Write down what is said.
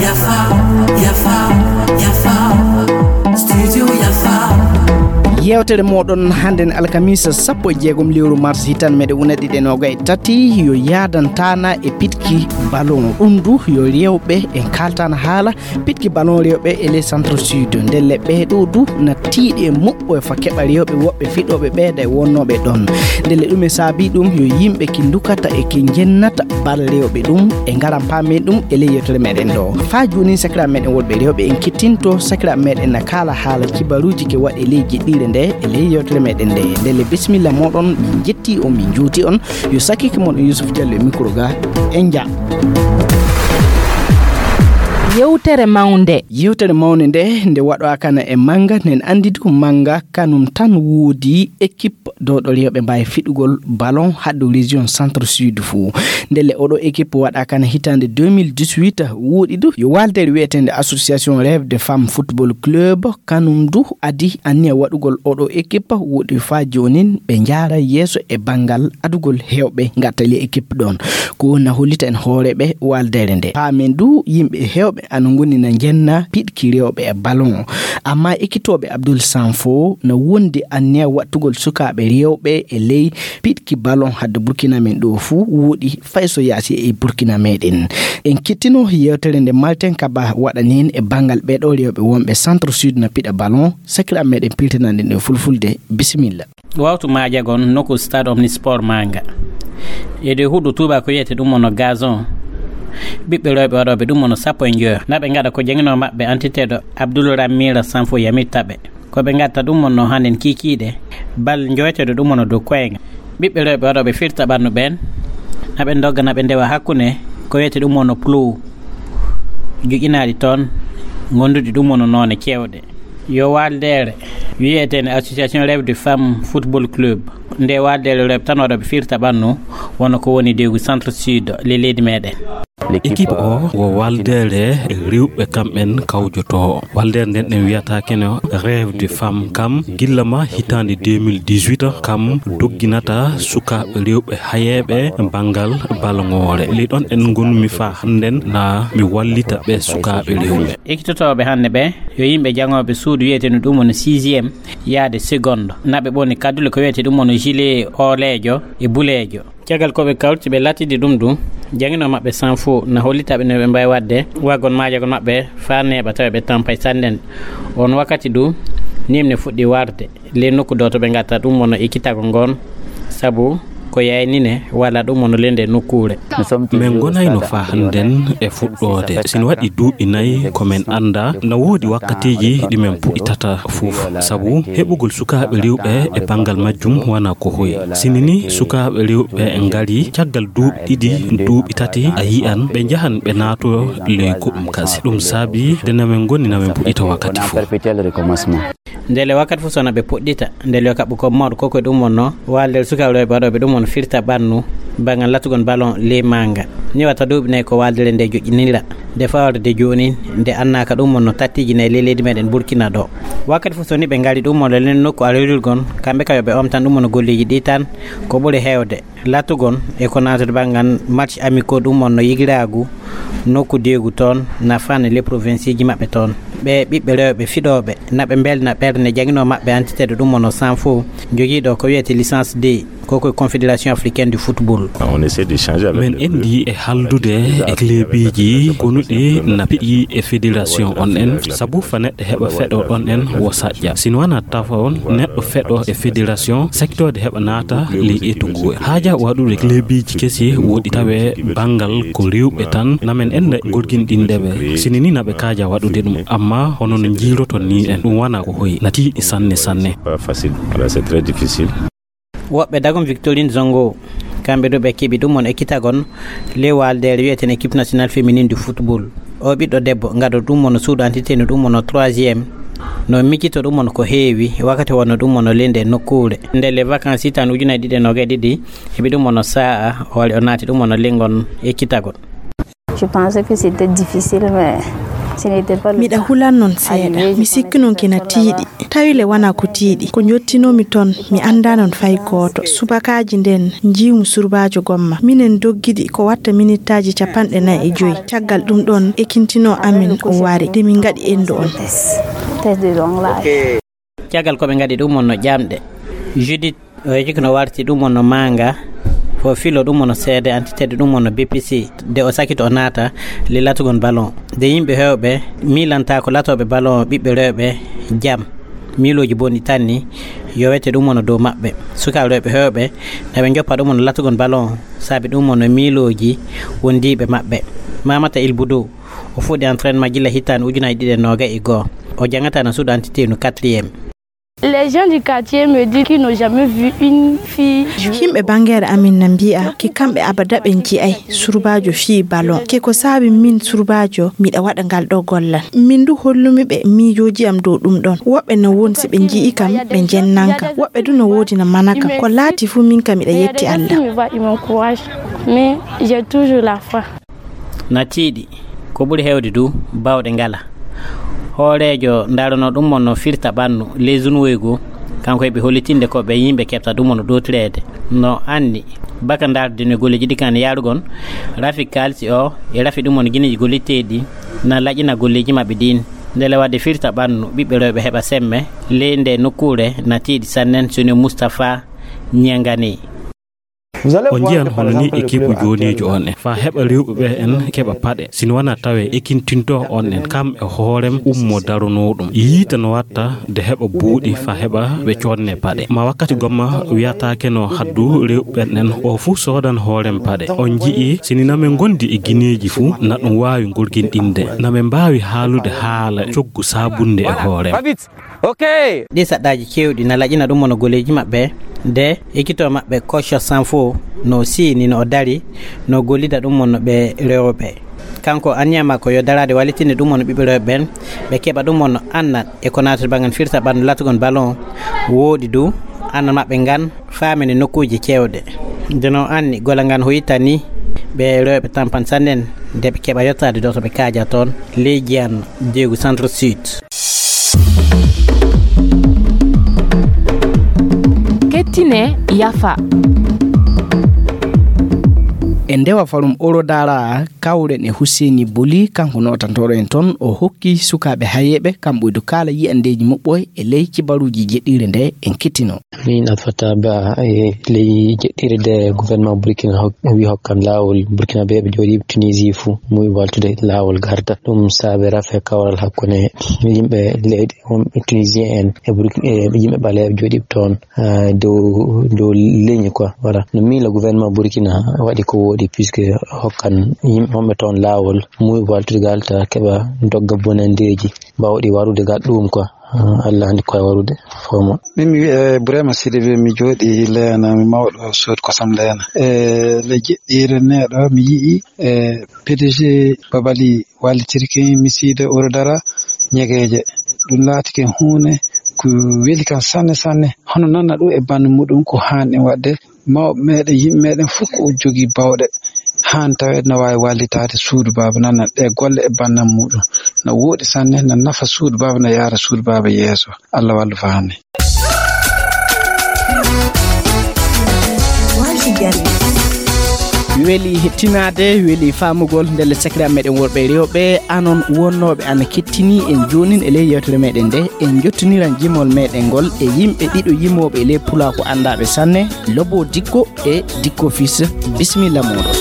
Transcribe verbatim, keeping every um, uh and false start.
Yafa, yafa, yafa. Studio Yafa. Yewtere moɗon hannden alkamisa sappo e jeegom lewru mars hitan meɗe una ɗiɗe noga e tati yo yaadantana e pitki ballon. Ɗum du yo rewɓe en kaltana haala pitki ballon rewɓe e les centre sud. Ndelle ɓeeɗo du na tiiɗi e muɓɓo e fa keɓa rewɓe woɓɓe fiɗoɓe ɓeeɗa e wonnooɓe ɗon. Ndelle ɗum e saabi ɗum yo yimɓe ki ndukata e ki njennata bal rewɓe ɗum e ngaran paamen ɗum e ley yewtere meɗen ɗo. Faa jooni sakira meɗen wolɓe rewɓe en kittinto sakira meɗen na kaala haala kibaruuji ke waɗe ley jiɗɗire nde e ley yewtere meɗen nde. Ndelle bisimilla moɗon, min jetti on, min juuti on. Yo sakike mon Yusuf Diallo e micro ga en ja. Yewtere mawnde. Yewtere mawnde nde, nde waɗo akana e manga, nen andi du manga kanum tan woodi équipe dowɗo rewɓe mbawi fiɗugol ballon haddo région centre sud fou. Ndelle oɗo équipe waɗa kana hitande deux mille dix-huit, woɗi du yo waldere wiyetende association rêve de femme football club, kanum du adi anniya waɗugol oɗo équipe. Woɗi fa jonin ɓe jaara yeeso e bangal adugol hewɓe gattali équipe ɗon. Ko woni na hollita en hooreɓe waldere nde. Paamen du yimɓe hewɓe ana ngoni na jenna piɗki rewɓe e ballon. Amma ekkitooɓe Abdoul Sanfo na wondi anniya wattugol sukaaɓe rewɓe e ley piɗki ballon hadde Burkina men ɗo fuu woɗi fay so yaasi e Burkina meɗen. En kittino yewtere nde Martin Kaba waɗani en e bangal ɓeɗo rewɓe wonɓe centre sud na piɗa ballon. Sakira meɗen piltinanɗen e fulfulde. Bisimilla. Wawtu maajagon nokku stade omnisport manga. E dow huɗo tuuba ko wiyete ɗum ono gazon. Ɓiɓɓe rewɓe waɗoɓe ɗum ono sappo e njoyo naɓe ngaɗa ko jangino maɓɓe antiteɗo Abdoul Ramira Sanfo yamittaɓe. Ko ɓe ngatta ɗum ono handen kikiɗe bal joweteɗo ɗum ono dow koyenga. Ɓiɓɓe rewɓe waɗoɓe firta ɓannu ɓen naɓe dogga naɓe ndewa hakkunde ko wiyete ɗum ono plou. Joƴƴinaaɗi toon gonduɗi ɗum ono noone kewɗe. Yo waaldeere wiyeteende Association Rêve de Femme Football Club. Nde waaldeere rewɓe tan waɗoɓe firta ɓannu wonno ko woni dewgu centre sud le leydi meɗen. Équipe o wo waaldeere rewɓe kamɓen kawjoto. Waaldeere nden ɗen wiyata kene Rêve de Femme kam gilla ma hitande deux mille dix-huit kam dogginata sukaaɓe rewɓe hayeeɓe banngal balŋoore. Ley ɗon en ngonmi faa hannden na mi wallita ɓe sukaaɓe rewɓe. Ekkitotooɓe hannde ɓe yo yimɓe jaŋooɓe suudu wiyeteenu ɗum woni sixième yaade seconde. Naɓe ɓoni kaddule ko wiyete ɗum woni gilet oleejo e buleejo. Caggal ko ɓe kawti ɓe latidi ɗum ɗum jaŋino maɓɓe sans fou na hollita ɓe no ɓe mbawi wadde waggon maajagol maɓɓe faa neeɓa tawa ɓe tampay sannden. On wakkati du nimne fuɗɗi warde. Ley nokku ɗo to ɓe ngatta ɗum wonno e kitago ngon sabu ko yaynine walla ɗum wonno ley nde nokkuure. Min ngonayno faa hannden e fuɗɗoode. Sina waɗi duuɓi nayi ko min annda na woodi wakkatiiji ɗi min puɗɗitata fof sabu heɓugol sukaaɓe rewɓe e banngal majjum wona ko hoyi. Sini ni sukaaɓe rewɓe ngari caggal duuɓi ɗiɗi duuɓi tati a yi'an ɓe njahan ɓe naato ley goɗɗum kasi ɗum saabi nde na min ngoni na min puɗɗita wakkati fof. Ndele wakkati fof sona ɓe puɗɗita ndele yo kaɓɓu ko mawɗo koko ɗum wonno waalde sukaaɓe rewɓe waɗoɓe ɗum won firta ɓannu bangal latugon ballon ley manga. Ni watta duuɓi nayi ko waaldere nde joƴƴinira nde fawrde jooni nde annaka ɗum wonno tattiji nayi ley leydi meɗen Burkina ɗo. Wakkati fof soni ɓe ngari ɗum wonno len nokku alawirgol kamɓe kam yo ɓe omtan ɗum wonno golleji ɗi tan ko ɓuri hewde. Latugon e ko naatude banngal match amicaux ɗum wonno yigiraagu nokku deegu toon na fanne les provincieji maɓɓe toon. Ɓe ɓiɓɓe rewɓe fiɗooɓe na ɓe mbelna ɓernde jaŋinoo maɓɓe antiteeɗo ɗum wonno sans fou jogiiɗo ko wiyete licence deux koko e confédération africaine du football. Min endi e haldude e klebiji konuɗi na piɗi e fédération on en sabu fa neɗɗo heɓa feɗo ɗon en wo saƴƴa sino wona tafa on neɗɗo feɗo e fédération saktode heɓa naata ley etu ngu haaja waɗude klebiji kesi woɗi tawe banngal ko rewɓe tan namen en gorginɗinde ɓe sini ni naɓe kaaja waɗude ɗum amma hono no jiiroton ni en ɗum wona ko hoyi na tiiɗi sanne sanne. Woɓɓe dagum Victorine Zongo kamɓe ɗo ɓe keɓi ɗum on ekkitagon ley waaldeere wiyeten équipe nationale féminine du football. O ɓiɗɗo debbo ngado ɗum wonno suudu antité no ɗum wonno troisième no miccito ɗum wonno ko heewi wakkati wonno ɗum wonno linde nokkuure nde les vacances hitande ujunnaji ɗiɗi e noga e ɗiɗi heɓi ɗum wonno sa'a o wari o naati ɗum wonno lingon ekkitagol. Je pense que c'était difficile mais Miɗa hulan non seeɗa. Mi sikki non kina tiiɗi. Tawi le wana ko tiiɗi. Ko njottinoomi ton, mi anndaa non fay gooto. Subakaaji nden njiimu surbaajo gomma. Minen doggidi ko watta minittaaji capanɗe nayi e joyi. Caggal ɗum ɗon, ekintinoo amin o wari. De min ngaɗi endu on. Caggal ko ɓe ngaɗi ɗum wonno ƴamɗe. Judith o yeji kono warti ɗum wonno manga. Fo filo ɗum wonno seede antitede ɗum wonno B P C. De o sakito o naata le latugon ballon. De yimɓe hewɓe miilanta ko latoɓe ballon ɓiɓɓe rewɓe jam. Miilooji boni tan ni yowete ɗum wonno dow maɓɓe. Sukaaɓe rewɓe hewɓe na ɓe joppa ɗum wonno latugon ballon saabi ɗum wonno miilooji wondiiɓe maɓɓe. Mamata Ilbudu o fuɗɗi entraînement gila hitaande ujunaaji ɗiɗi e noga e goo. O jangata na suudu antitenu quatrième. Les gens du quartier me disent qu'ils n'ont jamais vu une fille jouer. Yimɓe bangere amin na mbi'a ke kamɓe abada ɓe nji'ay surbaajo fii ballon. Ke ko saabi min surbaajo miɗa waɗa ngal ɗo gollal. Min du hollumi ɓe miijooji am dow ɗum ɗon. Woɓɓe na won si ɓe nji'i kam ɓe njennan kam. Woɓɓe du na woodi na mana kam. Ko laati fu min kam miɗa yetti Allah. Ils me voient, ils m'encouragent. Mais j'ai toujours la foi. Na tiiɗi. Ko ɓuri heewde du, baawɗe ngala. Hooreejo ndaranoo ɗum mo no firta ɓannu, leydi woygu, kanko heɓi hollitinde ko ɓe yimɓe keɓta ɗum mo no ɗootireede. No anni, baka ndaarde no golleeji ɗi kan yaarugon, rafi kaalisi o, e rafi ɗum mo no gineeji golliteeɗi, na laƴina golleeji maɓɓe ɗin. Ndele waɗde firta ɓannu, ɓiɓɓe rewɓe heɓa semme, ley nde nokkuure na tiiɗi sannen, soni Mustapha Ñangani. On njiyan hono ni équipe jooniijo on en. Faa heɓa rewɓe ɓe en keɓa paɗe. Sino wona tawe ekintinto on en kam e hoorem ummo daronoo ɗum. Yiita no watta de heɓa buuɗi faa heɓa ɓe coodne paɗe. Ma wakkati gomma wiyataake no haddu rewɓe ɓen en o fuu soodan hoorem paɗe. On nji'i sini na men ngondi e gineeji fuu na ɗum waawi ngorginɗinde. Na men mbaawi haalude haala coggu saabunde e hoorem. Ok. Ɗi saɗɗaaji keewɗi na laƴina ɗum wona goleeji maɓɓe, de ekkito maɓɓe Kocho Sanfo no siini no o dari no gollida ɗum wonno ɓe rewɓe. Kanko anniya makko yo daraade wallitinde ɗum wonno ɓiɓɓe rewɓe ɓen, ɓe keɓa ɗum wonno annal e ko naatata bangan firta ɓandu latugon ballon wooɗi du annal maɓɓe ngan faamini nokkuuji keewɗe. Nde no anni gola ngan hoyita ni ɓe rewɓe tampan sannen nde ɓe keɓa yottaade ɗo to ɓe kaaja toon leydi an Diego Centre Sud. Kettine yafa. E ndewa farum Orodara kawren e Husseini Boli, kanko nootantooɗo en toon, o hokki sukaaɓe hayeeɓe kamɓe du kaala yi'andeeji muɓɓoy e ley kibaruuji jeɗɗiire nde en kettino. Min Alfata Ba e ley jeɗɗiire nde gouvernement Burkina hok-, wi hokkan laawol Burkina ɓe ɓe jooɗi Tunisie fuu, muy waltude laawol garda. Ɗum saabe rafe kawral hakkunde yimɓe leyɗe wonɓe Tunisien en e Burki-, e yimɓe ɓaleeɓe jooɗiiɓe toon, ah, dow, dow leñi quoi. Voilà. No miila gouvernement Burkina waɗi ko wooɗi puisque hokkan yimɓe wonɓe toon laawol muy waltude gal ta keɓa dogga bonandeeji bawɗi warude gal ɗum quoi. Ah, Allah handi koye warude fomo. Min mi wi'e Burema Sidibe, mi jooɗi Leena, mi mawɗo suudu kosam Leena. E le jeɗɗiire neɗo mi yi'i e P D G Babali wallitirki mi siide Orodara ñegeeje. Ɗum laatike huunde ko weli kam sanne, sanne. Hono nana ɗum e banndum muɗum ko haanɗen waɗde. Mawɓe meɗen, yimɓe meɗen fof ko jogii bawɗe. Haan taweede na waawi wallitaade suudu baaba nana ɗe golle e banndam muɗum. Na wooɗi sanne, na nafa suudu baaba, na yaara suudu baaba yeeso. Allah wallu fa hannde. Weli hettinaade, weli faamugol ndelle sakiraaɓe meɗen worɓe e rewɓe, anon wonnooɓe ana kettini en joonin e ley yewtere meɗen nde, en jottiniran jimol meɗen ngol e yimɓe ɗiɗo yimooɓe e ley pulaaku anndaaɓe sanne, Lobo Dikko e Dikko Fils. Bisimilla mooɗon.